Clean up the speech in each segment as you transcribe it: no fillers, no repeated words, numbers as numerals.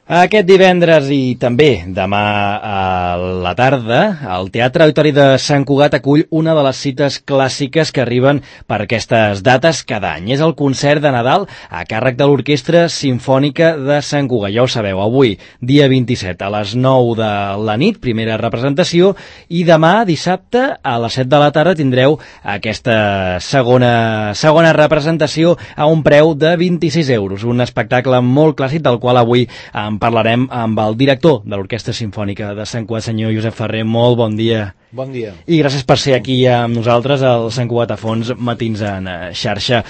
Aquest divendres i també demà a la tarda, el Teatre Auditori de Sant Cugat acull una de les cites clàssiques que arriben per aquestes dates cada any. És el concert de Nadal a càrrec de l'Orquestra Simfònica de Sant Cugat. Ja ho sabeu, avui, dia 27, a les 9 de la nit, primera representació, i demà, dissabte, a les 7 de la tarda, tindreu aquesta segona representació a un preu de 26 euros. Un espectacle molt clàssic del qual avui en parlarem amb el director de l'Orquestra Simfònica de Sant Cugat, senyor Josep Ferrer. Molt bon dia. Bon dia. I gràcies per ser aquí amb nosaltres al Sant Cugat a fons, matins en xarxa.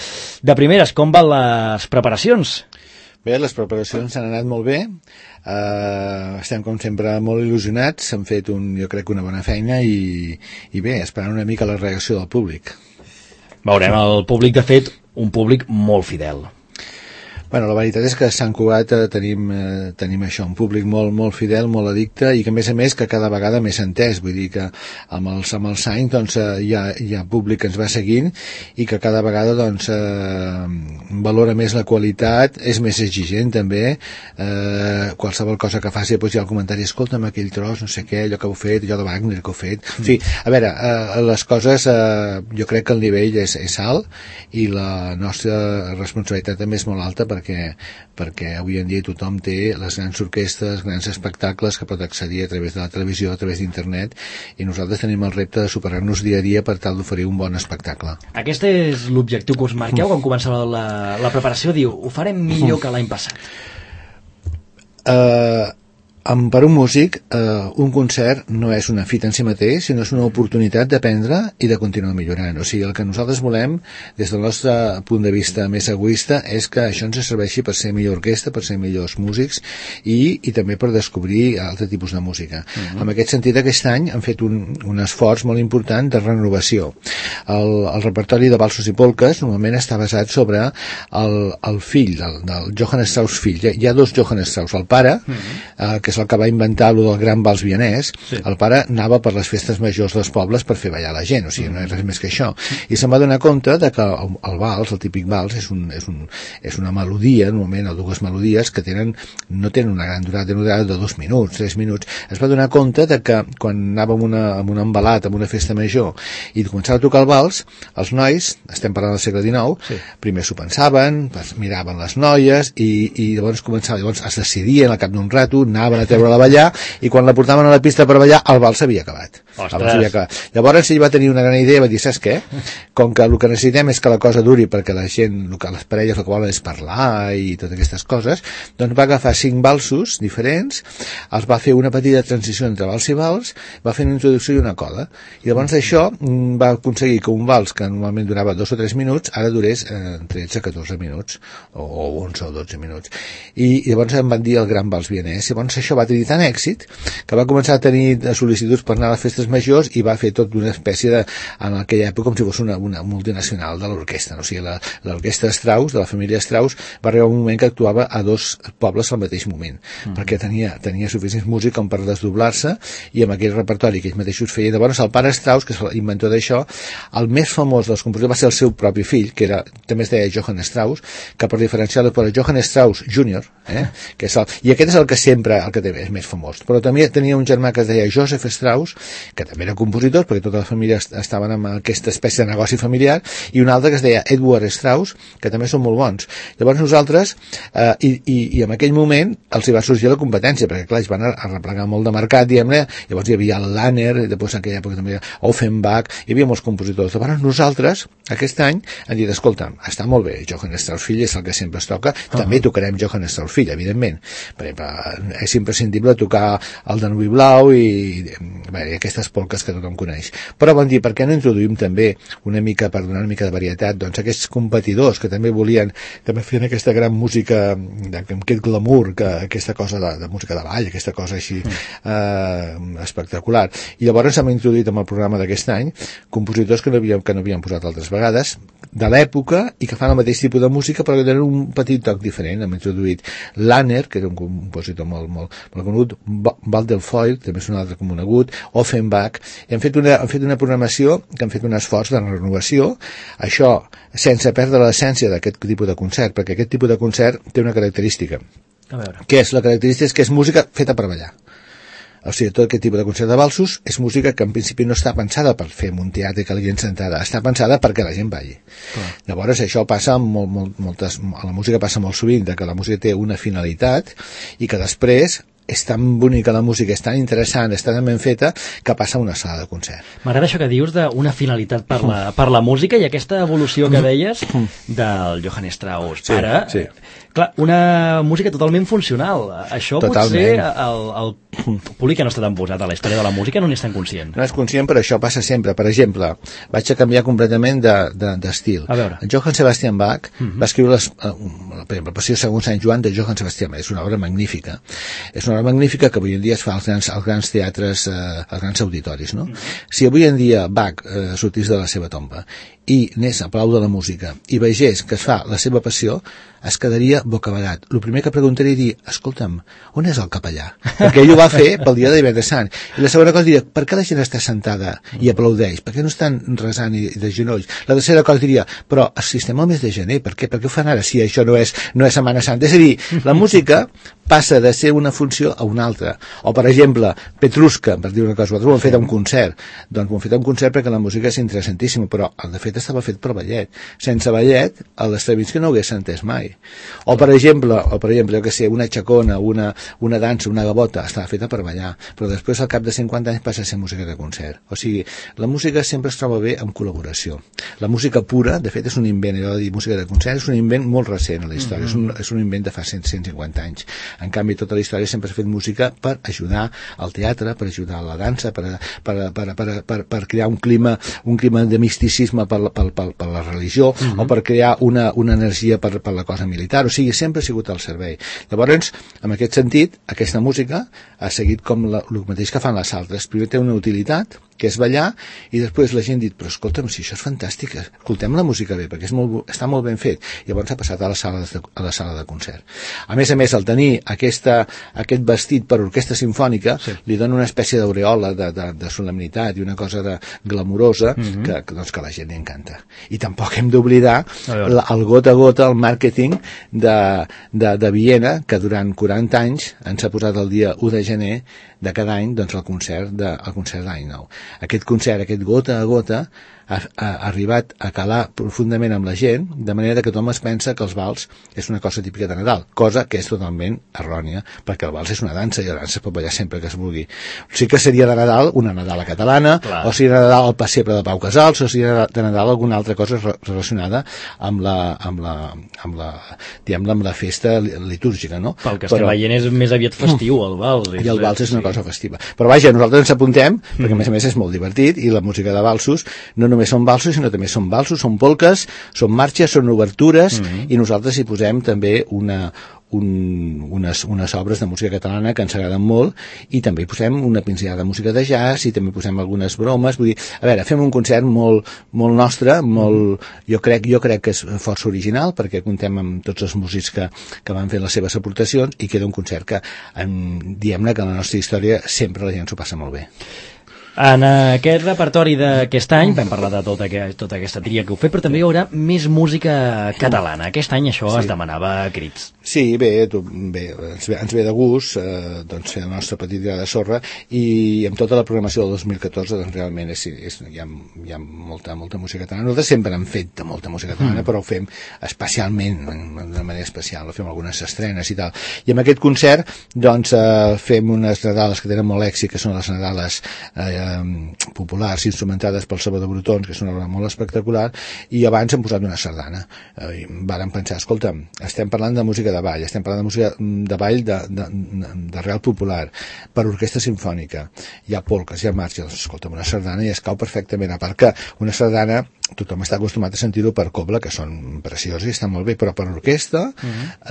De primeres, com van les preparacions? Bé, les preparacions s'han anat molt bé. Estem, com sempre, molt il·lusionats. Hem fet, jo crec, una bona feina i bé, esperant una mica la reacció del públic. Veurem el públic, de fet, un públic molt fidel. Bueno, la veritat és que a Sant Cugat tenim això, un públic molt fidel, molt addicte, i que a més que cada vegada més entès, vull dir que amb els anys doncs, hi ha públic que ens va seguint i que cada vegada doncs, valora més la qualitat, és més exigent també, qualsevol cosa que faci doncs, hi ha el comentari, escolta'm aquell tros, no sé què, allò que heu fet, allò de Wagner que heu fet, en fi, a veure, les coses jo crec que el nivell és alt i la nostra responsabilitat també és molt alta perquè avui en dia tothom té les grans orquestres, grans espectacles que pot accedir a través de la televisió, a través d'internet, i nosaltres tenim el repte de superar-nos dia a dia per tal d'oferir un bon espectacle. Aquest és l'objectiu que us marqueu quan començava la preparació, diu, ho farem millor que l'any passat. Per un músic, un concert no és una fita en si mateix, sinó és una oportunitat d'aprendre i de continuar millorant. O sigui, el que nosaltres volem, des del nostre punt de vista més egoista, és que això ens serveixi per ser millor orquestra, per ser millors músics i també per descobrir altre tipus de música. En aquest sentit, aquest any han fet un esforç molt important de renovació. El repertori de valsos i polques normalment està basat sobre el fill, del Johann Strauss fill. Hi ha dos Johann Strauss, el pare, que és el que va inventar el del gran vals vienès. Sí. El pare anava per les festes majors dels pobles per fer ballar la gent, o sigui, no és res més que això. I se'n va donar compte de que el vals, el típic vals, és una melodia, normalment, o dues melodies que no tenen una gran durada de 2 minuts, 3 minuts. Es va donar compte de que quan anava amb un embalat, amb una festa major, i començava a tocar el vals, els nois, estem parlant del segle XIX, sí, primer s'ho pensaven, miraven les noies, i llavors es decidien al cap d'un rato, anaven a treure-la a ballar, i quan la portaven a la pista per ballar, el vals s'havia acabat. Llavors ell va tenir una gran idea, va dir, saps què? Com que el que necessitem és que la cosa duri perquè la gent, les parelles el que volen és parlar i totes aquestes coses, doncs va agafar 5 valsos diferents, els va fer una petita transició entre vals i vals, va fer una introducció i una coda, i llavors això va aconseguir que un vals que normalment durava 2 o 3 minuts, ara durés 13 o 14 minuts, o 11 o 12 minuts. I llavors em van dir el gran vals vienès. Llavors això va tenir tant èxit que va començar a tenir sol·licituds per anar a les festes majors i va fer tot una espècie en aquella època com si fos una multinacional de l'orquestra. O sigui, l'orquestra Strauss, de la família Strauss, va arribar un moment que actuava a 2 pobles al mateix moment, perquè tenia suficients músics com per desdoblar-se, i amb aquell repertori que ells mateixos feien. Llavors el pare Strauss, que és l'inventor d'això, el més famós dels compositors va ser el seu propi fill, que també es deia Johann Strauss, que per diferenciar-lo per Johann Strauss Jr., que és i aquest és el que sempre és més famós. Però també tenia un germà que es deia Joseph Strauss, que també era compositor, perquè tota la família estaven en aquesta espècie de negoci familiar, i un altre que es deia Edward Strauss, que també són molt bons. Llavors nosaltres, i en aquell moment els hi va sorgir la competència, perquè clar, ells van arreplegar molt de mercat, diguem-ne. Llavors hi havia el Lanner, i després en aquella època també Offenbach, hi havia molts compositors. Llavors nosaltres, aquest any, hem dit, escolta, està molt bé, Johann Strauss fill és el que sempre es toca, també tocarem Johann Strauss fill, evidentment, perquè és imprescindible tocar el Danubi Blau i aquestes polques que tothom coneix. Però van dir, per què no introduïm també una mica, per donar una mica de varietat, doncs aquests competidors que també feien aquesta gran música, aquest glamour, aquesta cosa de música de ball, aquesta cosa així espectacular. I llavors hem introduït en el programa d'aquest any compositors que no havíem posat altres vegades, de l'època, i que fan el mateix tipus de música però que tenen un petit toc diferent. Hem introduït Lanner, que era un compositor molt conegut, Waldelfoil, també és un altre conegut, Offenbach, i han fet una programació que han fet un esforç de renovació, això sense perdre l'essència d'aquest tipus de concert, perquè aquest tipus de concert té una característica, A veure. Què és? La característica és que és música feta per ballar. O sigui, tot aquest tipus de concert de valsos és música que en principi no està pensada per fer un teatre que la gent sentada, està pensada perquè la gent balli. Llavors això passa a la música passa molt sovint, que la música té una finalitat i que després és tan bonica la música, és tan interessant, és tan ben feta, que passa a una sala de concert. M'agrada això que dius d'una finalitat per la música i aquesta evolució que deies del Johann Strauss. Sí, Ara, sí. Clar, una música totalment funcional. Això Totalment. Potser el públic que no està tan posat a la història de la música no n'és tan conscient. No és conscient, però això passa sempre. Per exemple, vaig a canviar completament d'estil. A veure. Johann Sebastian Bach va escriure per exemple, la Passió segons Sant Joan de Johann Sebastian Bach. És una obra magnífica. És una obra magnífica que avui en dia es fa als grans teatres, als grans auditoris, no? Si avui en dia Bach sortís de la seva tomba i anés a Palau de la Música i vegés que es fa la seva passió, es quedaria bocabadat. El primer que preguntaria diria, escolta'm, on és el capellà? Perquè ell ho va fer pel dia de Divendres Sant. I la segona cosa diria, per què la gent està sentada i aplaudeix? Per què no estan resant i de genolls? La tercera cosa diria, però si estem al mes de gener, per què ho fan ara si això no és Setmana Santa? És a dir, la música passa de ser una funció a una altra. O, per exemple, Petrushka, per dir una cosa, nosaltres ho hem fet a un concert. Doncs ho hem fet a un concert perquè la música és interessantíssima, però de fet estava fet per ballet. Sense ballet, l'Stravinsky no ho hagués entès mai. O per exemple, jo que sé, una xacona, una dansa, una gavota, estava feta per ballar, però després al cap de 50 anys passa a ser música de concert. O sigui, la música sempre es troba bé en col·laboració. La música pura, de fet, és un invent, allò de dir música de concert, és un invent molt recent a la història, és un invent de fa 150 anys. En canvi, tota la història sempre s'ha fet música per ajudar al teatre, per ajudar a la dansa, per crear un clima de misticisme per la religió, o per crear una energia per la cosa militar. O sigui, sempre ha sigut al servei. Llavors, en aquest sentit, aquesta música ha seguit com el mateix que fan les altres. Primer té una utilitat, que és ballar, i després la gent dit, però escolta'm, si això és fantàstic, escoltem la música bé, perquè està molt ben fet. Llavors ha passat a la sala de concert. A més, el tenir aquest vestit per orquestra simfònica li dona una espècie d'aureola de solemnitat i una cosa glamurosa que la gent li encanta. I tampoc hem d'oblidar el gota a gota, el màrqueting de Viena, que durant 40 anys ens ha posat el dia 1 de gener de cada any, doncs, el concert d'any nou. Aquest concert, aquest gota a gota, ha arribat a calar profundament amb la gent, de manera que tothom es pensa que els vals és una cosa típica de Nadal, cosa que és totalment errònia, perquè el vals és una dansa i la dansa es pot ballar sempre que es vulgui. Sí que seria de Nadal una Nadala catalana, o seria de Nadal el pessebre de Pau Casals, o seria de Nadal alguna altra cosa relacionada amb la festa litúrgica, no? Pel que estem veient és més aviat festiu, el vals. I el vals és una cosa festiva. Però vaja, nosaltres ens apuntem, perquè a més és molt divertit, i la música de valsos no només són valsos, sinó també són valsos, són polques, són marxes, són obertures, i nosaltres hi posem també unes obres de música catalana que ens agraden molt, i també hi posem una pinzellada de música de jazz, i també posem algunes bromes. Vull dir, a veure, fem un concert molt nostre, jo crec que és força original, perquè contem amb tots els músics que van fer les seves aportacions, i queda un concert que, diem-ne que en la nostra història sempre la gent s'ho passa molt bé. En aquest repertori d'aquest any vam parlar de tota aquesta tria que heu fet, però també hi haurà més música catalana. Aquest any això es demanava a crits. Sí, bé, ens ve de gust doncs fer la nostra petita gra de sorra, i amb tota la programació del 2014 doncs realment hi ha molta música catalana. Nosaltres sempre hem fet de molta música catalana, però ho fem especialment, d'una manera especial, fem algunes estrenes i tal. I amb aquest concert doncs fem unes nadales que tenen molt èxit, que són les nadales populars instrumentades pel Salvador Brotons, que és una obra molt espectacular, i abans hem posat una sardana. Vàrem pensar, escolta'm, estem parlant de música de ball, estem parlant de música de ball d'arrel popular, per orquestra simfònica, hi ha polques, hi ha marxes, escolta'm, una sardana i es cau perfectament, a part que una sardana tothom està acostumat a sentir-ho per cobla, que són preciosos i estan molt bé, però per orquestra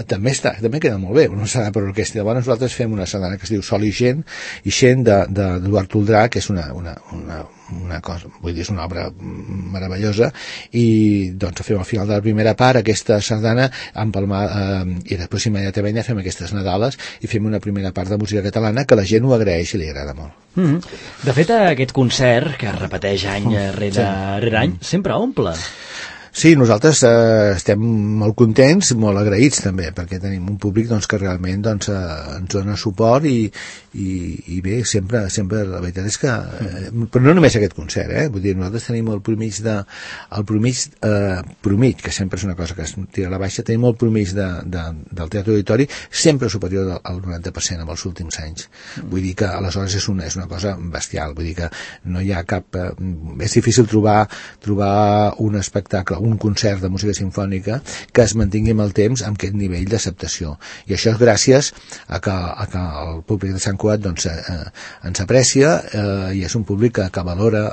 també queda molt bé, una sardana per orquestra. Llavors nosaltres fem una sardana que es diu Sol i Gent d'Eduard Toldrà, que és una cosa, vull dir, és una obra meravellosa, i doncs fem al final de la primera part aquesta sardana i després immediatament ja fem aquestes nadales i fem una primera part de música catalana que la gent ho agraeix i li agrada molt. De fet, aquest concert que es repeteix any rere any sempre omple. Sí, nosaltres estem molt contents, molt agraïts també, perquè tenim un públic doncs, que realment doncs, ens dona suport i bé, sempre la veritat és que però no només aquest concert, vull dir, nosaltres tenim el promig que sempre és una cosa que es tira a la baixa, tenim el promig del Teatre Auditori sempre superior al 90% en els últims anys. Vull dir que aleshores és una cosa bestial, vull dir que no hi ha cap és difícil trobar un espectacle, un concert de música simfònica que es mantingui amb el temps amb aquest nivell d'acceptació. I això és gràcies a que el públic de Sant Cugat doncs, ens aprecia i és un públic que valora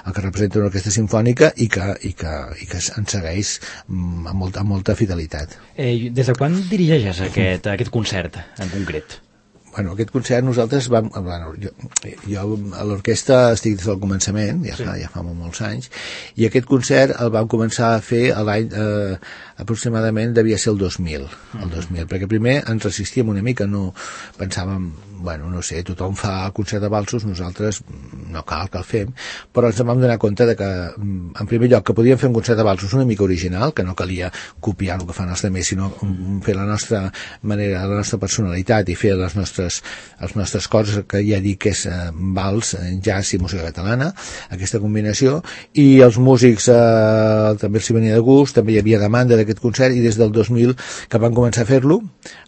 el que representa una orquestra simfònica i que ens segueix amb molta fidelitat. Des de quan dirigeixes aquest concert en concret? Bueno, aquest concert nosaltres vam... Bueno, jo a l'orquestra estic des del començament, ja fa molts anys, i aquest concert el vam començar a fer l'any aproximadament devia ser el 2000, perquè primer ens resistíem una mica, no pensàvem, bueno, no sé, tothom fa el concert de valsos, nosaltres no cal que el fem, però ens vam donar compte de que, en primer lloc, que podíem fer un concert de valsos una mica original, que no calia copiar el que fan els altres, sinó fer la nostra manera, la nostra personalitat i fer les nostres coses, que ja dic que és vals, jazz i música catalana, aquesta combinació, i els músics també els hi venia de gust, també hi havia demanda d'aquest concert, i des del 2000 que van començar a fer-lo,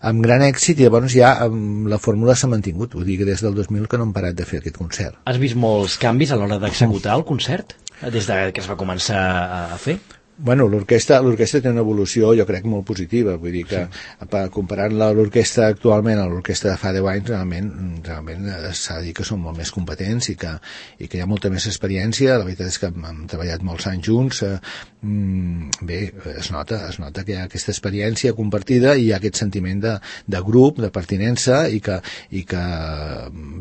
amb gran èxit, i llavors ja la fórmula s'ha mantingut, vull dir que des del 2000 que no hem parat de fer aquest concert. Has vist molts canvis a l'hora d'executar el concert, des que es va començar a fer? Bueno, l'orquestra té una evolució, jo crec, molt positiva, vull dir que comparant l'orquestra actualment a l'orquestra de fa 10 anys, realment s'ha de dir que són molt més competents i que hi ha molta més experiència. La veritat és que hem treballat molts anys junts, bé, es nota que hi ha aquesta experiència compartida i hi ha aquest sentiment de grup, de pertinença i que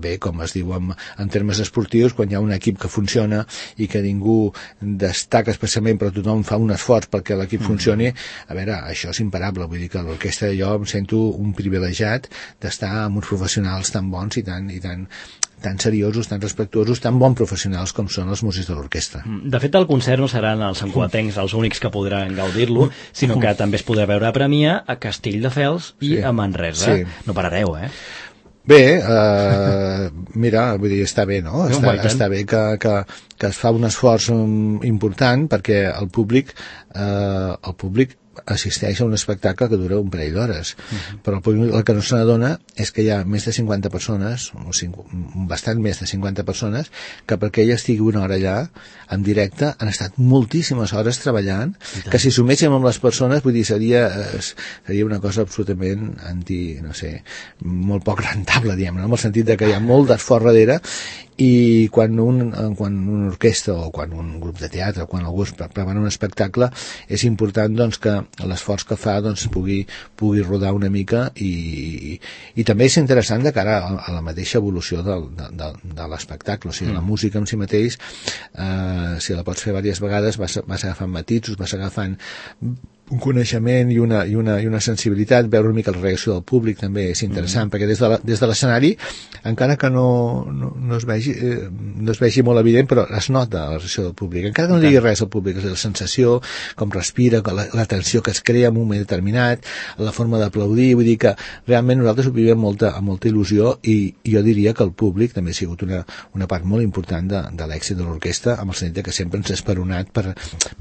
bé, com es diu en termes esportius, quan hi ha un equip que funciona i que ningú destaca especialment però tothom fa un esforç perquè l'equip funcioni, a veure, això és imparable, vull dir que a l'orquestra jo em sento un privilegiat d'estar amb uns professionals tan bons i tan seriosos, tan respectuosos, tan bons professionals com són els músics de l'orquestra. De fet, el concert no seran els santcugatencs els únics que podran gaudir-lo, sinó que també es podrà veure a Premià, a Castelldefels i a Manresa. Sí. No parareu, Bé, mira, vull dir, està bé, no? Està bé que es fa un esforç important perquè el públic assisteix a un espectacle que dura un parell d'hores, però el que no se n'adona és que hi ha més de 50 persones, bastant més de 50 persones, que perquè ella estigui una hora allà, en directe, han estat moltíssimes hores treballant, que si suméssim amb les persones, vull dir, seria una cosa absolutament molt poc rentable, diguem-ne, en el sentit de que hi ha molt d'esforç darrere, i quan una orquestra o quan un grup de teatre o quan algú es prepara un espectacle és important doncs, que l'esforç que fa doncs, pugui rodar una mica i també és interessant de cara a la mateixa evolució de l'espectacle, o sigui, la música en si mateix si la pots fer diverses vegades vas agafant matisos, vas agafant un coneixement i una sensibilitat, veure una mica la reacció del públic també és interessant, perquè des de l'escenari encara que no es vegi molt evident, però es nota la reacció del públic, encara que no digui res al públic, és la sensació, com respira, la tensió que es crea en un moment determinat, la forma d'aplaudir, vull dir que realment nosaltres ho vivim amb molta il·lusió i jo diria que el públic també ha sigut una part molt important de l'èxit de l'orquestra, amb el sentit que sempre ens ha esperonat per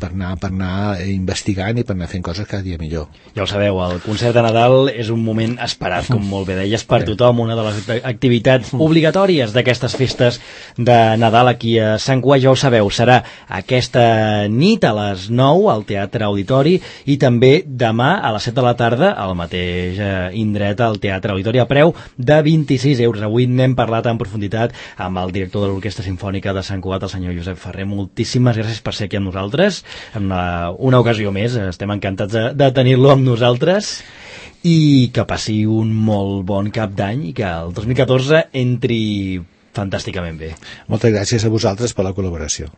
anar investigant i per anar fent coses cada dia millor. Ja ho sabeu, el concert de Nadal és un moment esperat, com molt bé deies, per tothom, una de les activitats obligatòries d'aquestes festes de Nadal aquí a Sant Cugat, ja ho sabeu, serà aquesta nit a les 9 al Teatre Auditori i també demà a les 7 de la tarda al mateix indret al Teatre Auditori a preu de 26 euros. Avui n'hem parlat en profunditat amb el director de l'Orquestra Simfònica de Sant Cugat, el senyor Josep Ferrer. Moltíssimes gràcies per ser aquí amb nosaltres en una ocasió més. Estem encantats de tenir-lo amb nosaltres i que passi un molt bon cap d'any i que el 2014 entri fantàsticament bé. Moltes gràcies a vosaltres per la col·laboració.